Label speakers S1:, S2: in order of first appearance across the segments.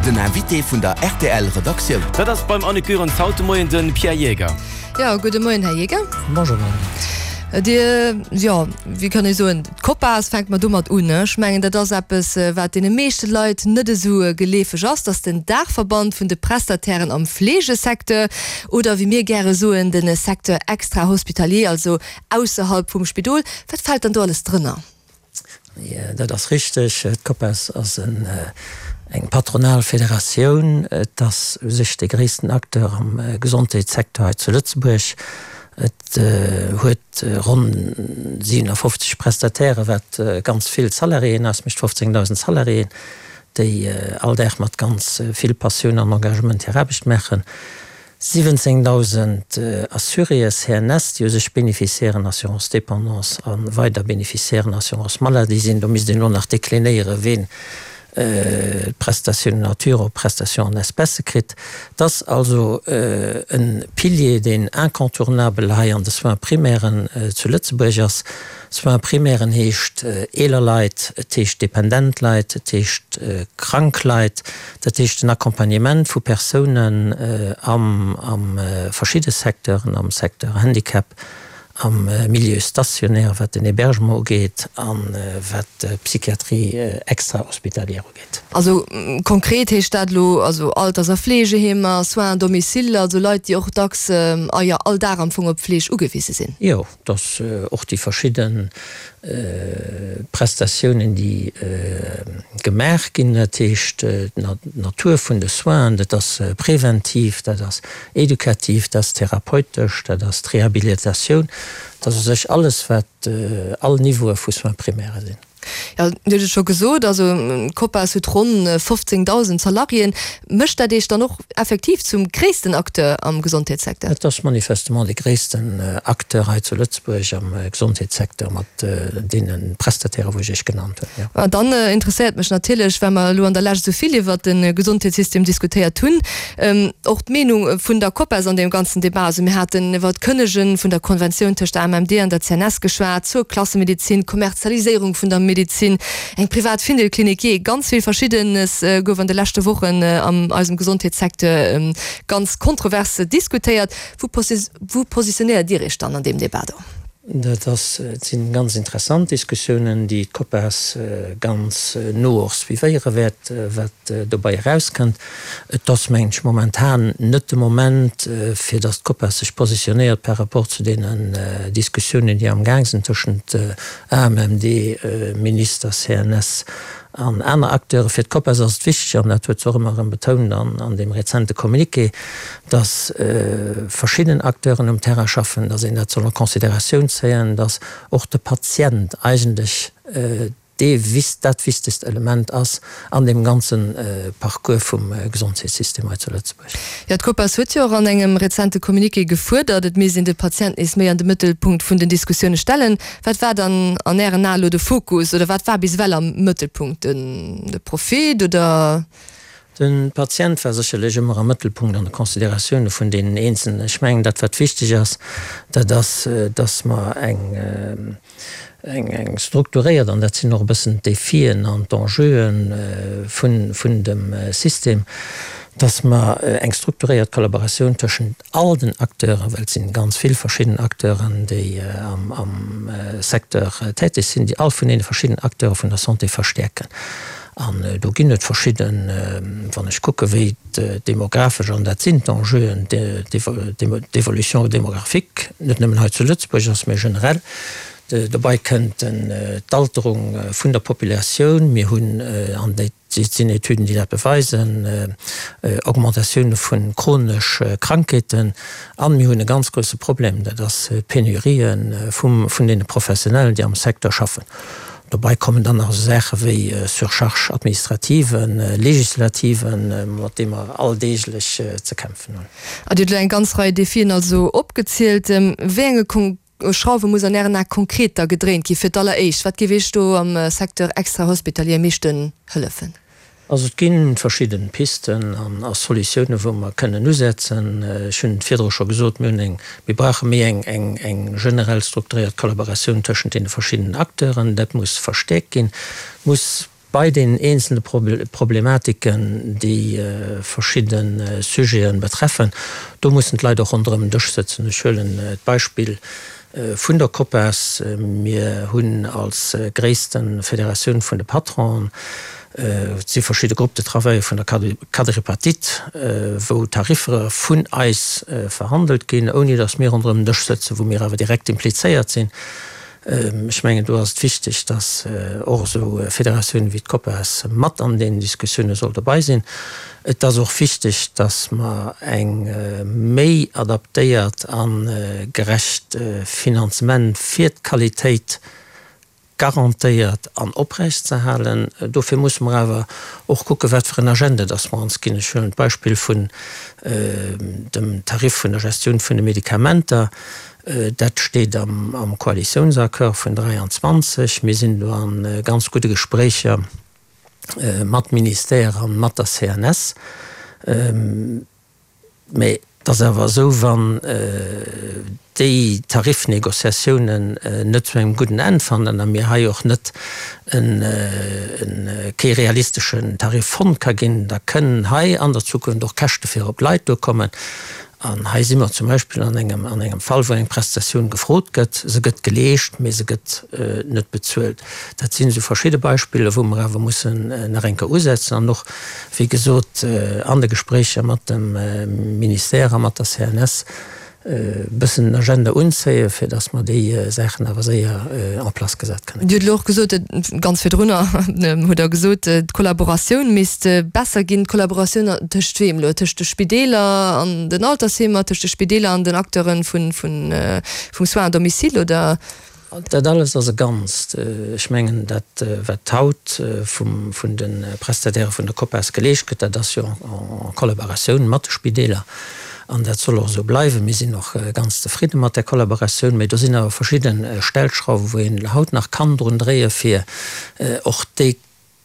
S1: Den Invité vun der rtl Redaktioun.
S2: Dat ass beim Annick Goerens haut de Moien de Pierre Jaeger.
S3: Jo, gudde Moien, Här Jaeger.
S4: Bonjour, Madame Goerens.
S3: Dir, jo, wéi kann ee soen, d'Copas, fänke mer domat un. Ech mengen, dat ass eppes, wat deene meeschte Leit net esou geleefeg ass, dass den Daachverband vun de Prestatairen am Fleegesecteur, oder wéi mir gäre soen, de Secteur extra-hospitalier, also ausserhalb vum Spidol. Wat fält dann do alles drënner?
S4: Dat ass richteg. D'Copas ass eng patronal Federatioun. Et ass u sech de gréissten Acteur am Gesondheetssecteur hei zu Lëtzebuerg. Et huet ronn 57 Prestatairen, wat ganz vill Salariéen ausmécht, 15.000 Salariéen, déi all Dag mat ganz vill Passioun an Engagement hir Aarbecht maachen. 17.000 Assuréë CNS, déi u sech Bénéficiairen Assurance dépendance a weider Bénéficiairen Assurance maladie sinn. Do misst een elo nach deklinéieren, ween d'Prestation nature op Prestation en espèces kritt. Et ass also e Pilier, deen incontournabel hei an de Soins primairen zu Lëtzebuerg ass. Soins primairen heescht eeler Leit, et heescht dependent Leit, et heescht krank Leit, dat heescht den Accompagnement vu Persounen am verschidde Secteuren, am Secteur Handicap, am Milieu stationnaire, wat den Hébergement ugeet a wat d'Psychiatrie extra-hospitalière ugeet.
S3: Also konkret heescht dat elo also Alters a Fleegeheemer, Soins à domicile, also Leit, déi och dacks, a jo all Dag am Fong op Fleeg ugewise sinn.
S4: Jo. Dass och déi verschidde Prestatiounen, déi gemaach ginn, dat heescht d'Natur vun de Soinen, dat ass preventiv, dat ass edukativ, dat ass therapeutesch, dat ass d'Rehabilitatioun, dat ass u sech alles, wat all Niveaue vu Soins primaires sinn.
S3: Jo, Dir hutt et scho gesot, also d'Copas huet ronn 15.000 Salariéen. Mécht dat Iech dann och effektiv zum gréissten Acteur am Gesondheetssecteur?
S4: Et ass manifestement dee gréissten Acteur hei zu Lëtzebuerg am Gesondheetssecteur mat deene Prestataire wou ech Iech genannt hunn, jo.
S3: An dann interesséiert mech natierlech, well mer elo an der Lescht esou vill iwwert de Gesondheetssystem diskutéiert hunn, Och d'Meenung vun der Copas an deem ganzen Debat, also mir haten iwwer d'Kënnege vun der Konventioun tëscht der AMMD an der CNS geschwat, zur Klassemedezin, d'Kommerzialiséierung vun der Medezin, eng privat Findelklinik, jee, ganz vill Verschiddenes gouf an de leschte Wochen an eisem Gesondheetssecteur ganz kontrovers diskutéiert. Wou positionéiert Dir Iech dann an deem Debat do?
S4: Dat ass, et si ganz interessant Diskussiounen, déi d'Copas ganz no och suivéiere wäert, wat dobei erauskënnt. Et ass, mengen ech, momentan net de Moment, fir datt d'Copas sech positionéiert par rapport zu deenen Diskussiounen, déi amgaang sinn tëschent AMMD, Minister, CNS An aner Acteure. Fir d'Copas ass et wichteg, an dat huet se och ëmmer erëm betount an deem rezente Communiqué, datt verschidden Acteuren um Terrain schaffen, datt een dat soll en Considératioun zéien, datt och de Patient eigentlech dee dat wichtegst Element ass an deem ganze Parcours vum Gesondheetssystem hei zu Lëtzebuerg.
S3: Jo, d'Copas huet jo och an engem rezente Communiqué gefuerdert, et misst een de Patient nees méi an de Mëttelpunkt vun den Diskussioune stellen. Wat war dann an Ären Ae lo de Fokus oder wat war bis ewell am Mëttelpunkt? De Profit oder?
S4: De Patient war sécherlech ëmmer am Mëttelpunkt an de Consideratioune vun deenen Eenzelnen. Ech mengen, dat wat wichteg ass, dat ass, dass mer eng, eng strukturéiert, an dat sinn och e bëssen d'Defien an d'Enjeuen vun, vun dem System, dass mer eng strukturéiert Kollaboratioun tëschent all den Acteuren, well et si ganz vill verschidden Acteuren, déi am Secteur täteg sinn, déi all vun deene verschiddenen Acteure vun der Santé verstäerken. An do ginn et verschidden, wann ech kucke wéi d'demographesch, an dat sinn d'Enjeuen, d'Évolution démographique, net nëmmen hei zu Lëtzebuerg ass, mä generell, dobei kënnt d'Alterung vun der Populatioun, mir hunn an déi, Et sinn Etüden, déi dat beweisen, Augmentatioune vu chronesch Krankheeten. A mir hunn e ganz grousse Problem, dat ass d'Penurië vun deene Professionellen, déi am Secteur schaffen. Dobei kommen dann nach esou Saache wéi Surcharge administrative, législative, mat deem mer alldeeglech ze kämpfen hunn.
S3: Dir hutt elo eng ganz Rei Defien also opgezielt. Wéi enge Schrauwe muss an Ären Ae konkret da gedréint gi fir d'alleréischt? Wat géif Iech do am Secteur extra-hospitalier am meeschten hëllefen?
S4: Also et gi verschidde Pisten a Solutiounen, wou mer kënnen usetzen. Ech hunn et virdru scho gesot, mir hunn eng, mir brauche méi eng, eng, eng generell strukturéiert Kollaboratioun tëschent deene verschiddenen Acteuren. Dat muss verstäerkt ginn, muss. Bei deenen eenzelne Problematiken, déi verschidde Sujete betreffen, do mussen d'Leit och ronderëm en Dësch sëtzen. Ech huelen d'Beispill vun der COPAS. Mir hunn als gréisste Federatioun vun de Patronen, et si verschidde Groupes de travail vun der Quadripartite, wou Tariffer vun eis verhandelt ginn, ouni datt mir ronderëm en Dësch sëtzen, wou mir awer direkt implizéiert sinn. Ech mengen, do ass et wichteg, dass och esou Federatiounen wéi d'COPAS mat an deenen Diskussioune soll dobei sinn. Et ass och wichteg, dass mer eng méi adaptéiert a gerecht Finanzement fir d'Qualitéit garantéiert an oprechtzeerhalen. Dofir musse mer awer och kucken, wat fir en Agenda dass mer ons ginn. Ech huelen d'Beispill vun dem Tarif vun der Gestioun vun de Medikamenter. Dat steet am Koalitiounsaccord vun 23. Mir sinn do a ganz gudde Gespréicher mat Ministère a mat der CNS. Mä et ass awer esou, wann déi Tarifnegociatiounen net zu engem gudden Enn fannen a mir hei och net kee realisteschen Tarif fonnt ka ginn, da kënnen hei an der Zukunft och Käschte fir op d'Leit duerkommen. An hei si mer zum Beispill an engem, an engem Fall, wou eng Prestatioun gefrot gëtt, se gëtt geleescht, mee se gëtt net bezuelt. Dat sinn esou verschidde Beispiller, wou mer awer mussen nach eng Kéier usetzen an och, wéi gesot, an de Gespréicher mat dem Ministère a mat der CNS e bëssen den Agenda unzéien, fir dass mer déi Saachen awer séier en place gesat kënne
S3: Dir hutt elo och gesot, ganz virdrunner hutt Der gesot, d'Kollaboratioun misst besser ginn. D'Kollaboratioun tëscht weem elo? Tëscht de Spideeler an den Altersheemer, tëscht de Spideeler an den Acteure vum Soins à domicile, oder?
S4: Dat alles ass e Ganzt. Ech mengen, dat wat haut vun de Prestatairë vun der COPAS geleescht gëtt, dat ass jo en Collaboratioun mat de Spideeler an dat soll och esou bleiwen. Mir sinn och ganz zefridde mat där Collaboratioun, mä do sinn awer verschidde Stellschrauwen, wou een haut nach kann drun dréien, fir och déi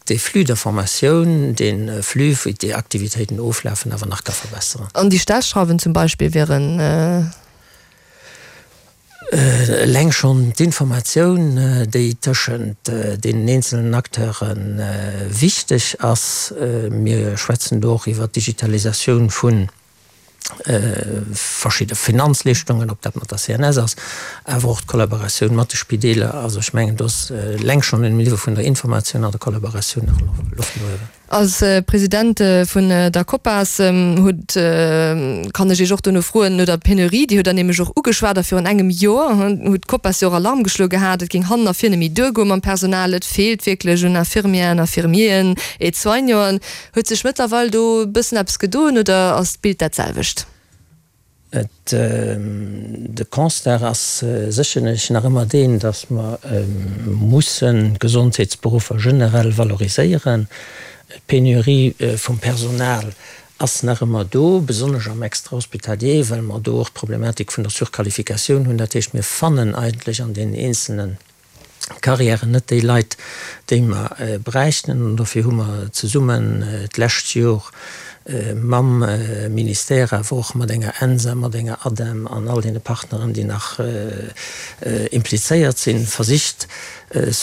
S4: dee Flux d'informatioun, dee Flux, wéi déi Aktivitéiten oflafen, awer nach ka verbesseren.
S3: An déi Stellschrauwen zum Beispill wieren?
S4: Eleng schonn d'Informatioun, déi tëschent deenen eenzelnen Acteure wichteg ass. Mir schwätzen do och iwwert d'Digitalisatioun vu verschidde Finanzleeschtungen, ob dat mat der CNS ass, awer och d'Kollaboratioun mat de Spideeler. Also ech mengen, do ass eleng schonn um Niveau vun der Informatioun an der Kollaboratioun nach Loft no uewen.
S3: Als President vun der COPAS hutt, kann ech Iech och dono froen, no der Penurie, déi hutt Der nämlech och ugeschwat, a virun engem Joer hutt d'COPAS jo och Alarm geschloe gehat, et géing hannen a vir net méi duergoe mam Personal, et feelt wierklech un Infirmièren, Infirmieren, Aide-soignanten. Huet sech mëttlerweil do e bëssen eppes gedoen oder ass d'Bild dat selwecht?
S4: Et, de Constat ass sécherlech nach ëmmer deen, datt mer mussen d'Gesondheetsberuffer generell valoriséieren. D'Penurie vum Personal ass nach ëmmer do, besonnesch am Extrahospitalier, well mer do och d'Problematik vun der Surqualifikatioun hunn. Dat heescht, mir fannen eigentlech an deenen eenzelne Carrièren net déi Leit, déi mer bräichten. An dofir hu mer zesummen d'lescht Jor mam Ministère, awer och mat enger ENSA, mat enger ADEM an all deene Partneren, déi nach implizéiert sinn, versicht,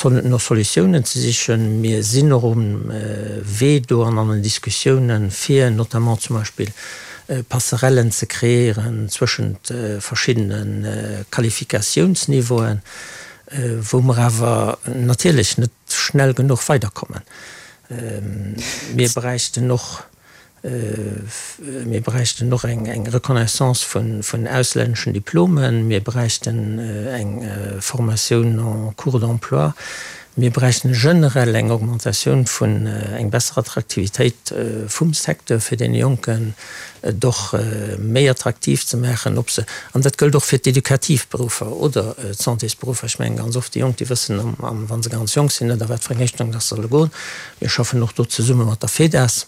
S4: no Solutiounen ze sichen. Mir sinn och um Wee do an an den Diskussiounen, fir notamment zum Beispill Passerellen ze kreéieren zwëschent verschiddene Qualifikatiounsniveauen, wou mer awer natierlech net schnell genuch weiderkommen. Mir bräichten och, mir bräichten och eng Reconnaissance vun auslänneschen Diplomen, mir bräichten eng Formatioun en cours d'emploi, mir bräichten generell eng Augmentatioun vun, eng besser Attraktivitéit vum Secteur fir deene Jonken et och méi attraktiv ze maachen, ob se, an dat gëllt och fir d'edukativ Beruffer oder d'Santésberuffer, ech mengen ganz oft déi Jonk, déi wëssen, wa se ganz jonk sinn, net a wat fir eng Richtung dass se solle goen. Mir schaffen och do zesumme mat der FEDAS,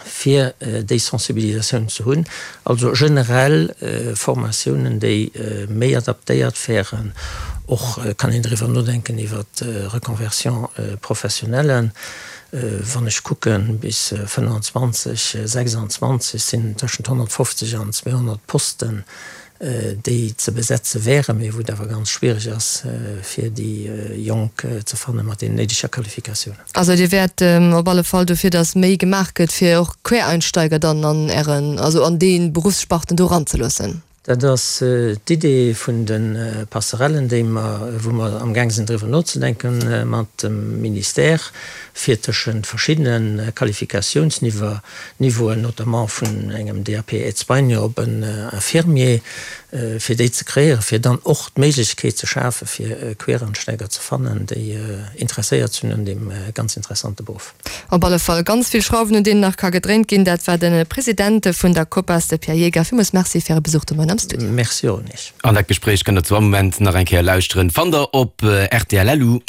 S4: fir déi Sensibilisatioun ze hunn. Also generell Formatiounen, déi méi adaptéiert wären. Och kann een driwwer nodenken iwwer d'Reconversion professionnelle. Wann ech kucken, bis 25, 26 sinn tëschent 150 an 200 Posten. déi ze besetze wären, mee wou et awer ganz schwiereg ass, fir déi Jonk ze fanne mat deenen néideger Qualifikatiounen.
S3: Also Dir wäert op alle Fall dofir, datt méi gemaach gëtt, fir och Quereinsteiger dann an Ären, also an déi Beruffssparten do eranzeloossen?
S4: Dat ass d'Idee vun de Passerellen, déi mer, wou mer amgaang sinn driwwer nozedenke mat dem Ministère, fir tëschent verschiddene Qualifikatiounsniveauen, notamment vun engem DAP Aide-soignant op en Infirmier, fir déi ze kreéieren, fir dann och d'Méiglechkeet ze schafen, fir Queransteiger ze fannen, déi interesséiert sinn un deem ganz interessante Beruff.
S3: Op alle Fall ganz vill Schrauwen un deenen nach ka gedréint ginn. Dat war de President vun der Copas, de Pierre Jaeger. Villmools Merci fir Äre Besuch de Moien am Studio.
S4: Merci och un Iech.
S2: An dat Gespréich kënnt der zu all Moment nach eng Kéier lauschteren. Fannt der op rtl. Lu.